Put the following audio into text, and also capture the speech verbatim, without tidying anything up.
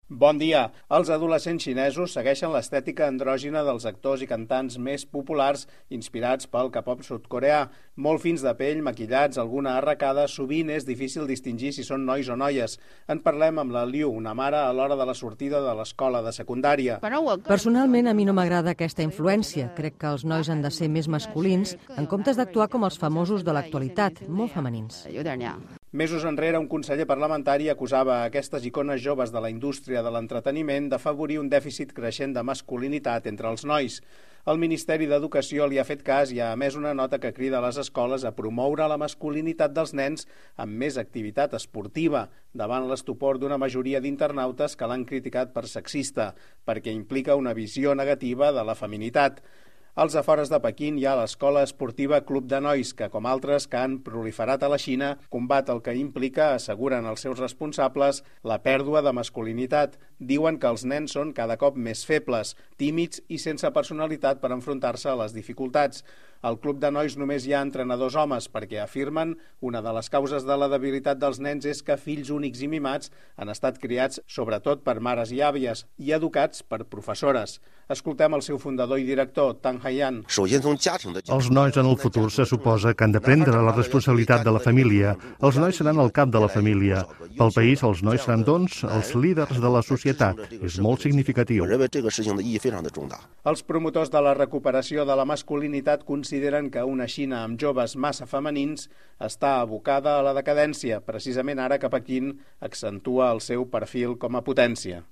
Bon dia. Els adolescents xinesos segueixen l'estètica andrògina dels actors i cantants més populars inspirats pel K-pop sud-coreà. Molt fins de pell, maquillats, alguna arracada, sovint és difícil distingir si són nois o noies. En parlem amb la Liu, una mare a l'hora de la sortida de l'escola de secundària. Personalment, a mi no m'agrada aquesta influència. Crec que els nois han de ser més masculins en comptes d'actuar com els famosos de l'actualitat, molt femenins. Mesos enrere, un conseller parlamentari acusava aquestes icones joves de la indústria de l'entreteniment d'afavorir un dèficit creixent de masculinitat entre els nois. El Ministeri d'Educació li ha fet cas i ha emès una nota que crida a les escoles a promoure la masculinitat dels nens amb més activitat esportiva, davant l'estupor d'una majoria d'internautes que l'han criticat per sexista, perquè implica una visió negativa de la feminitat. Als afores de Pequín hi ha l'escola esportiva Club de Nois, que, com altres que han proliferat a la Xina, combat el que implica, asseguren els seus responsables, la pèrdua de masculinitat. Diuen que els nens són cada cop més febles, tímids i sense personalitat per enfrontar-se a les dificultats. Al Club de Nois només hi ha entrenadors homes perquè afirmen una de les causes de la debilitat dels nens és que fills únics i mimats han estat criats sobretot per mares i àvies i educats per professores. Escoltem el seu fundador i director, Tang Haiyan. Els nois en el futur se suposa que han de prendre la responsabilitat de la família. Els nois seran el cap de la família. Pel país, els nois seran, doncs, els líders de la societat. És molt significatiu. Els promotors de la recuperació de la masculinitat consideren que una Xina amb joves massa femenins està abocada a la decadència, precisament ara que Pequín accentua el seu perfil com a potència.